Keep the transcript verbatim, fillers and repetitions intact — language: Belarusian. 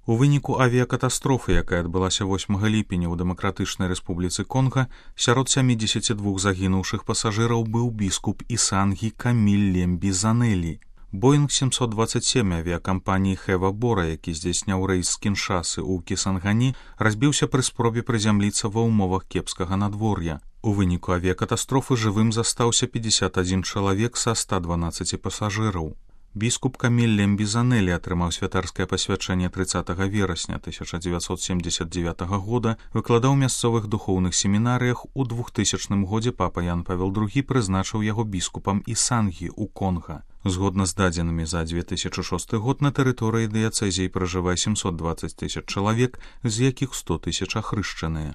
У выніку авіякатастрофы, якая адбылася восьмага ліпеня ў Дэмакратычнай Рэспубліцы Конга, сярод сямідзесяці двух загінуўшых пасажыраў быў біскуп Ісангі Каміль Лембі Занелі. Боінг сямсот дваццаць сем авіякампаніі Хэва Бора, які здзяйсняў рэйс з Кіншасы ў Кісангані, разбіўся пры спробе прызямліцца ва ўмовах кепскага надвор'я. У выніку авіякатастрофы жывым застаўся пятьдесят один чалавек са ста дванаццаці пасажыраў. Біскуп Каміль Лембі Занелі атрымаў святарскае пасвячэнне трыццатага верасня тысяча дзевяцьсот семдзесят дзевятага года, выкладаў у мясцовых духоўных семінарыях. У двухтысячным годзе папа Ян Павел другі прызначыў яго біскупам Ісангі ў Конга. Згодна з дадзенымі за две тысячы шосты год на тэрыторыі дыяцэзіі пражывае сямсот дваццаць тысяч чалавек, з якіх сто тысяч ахрышчаныя.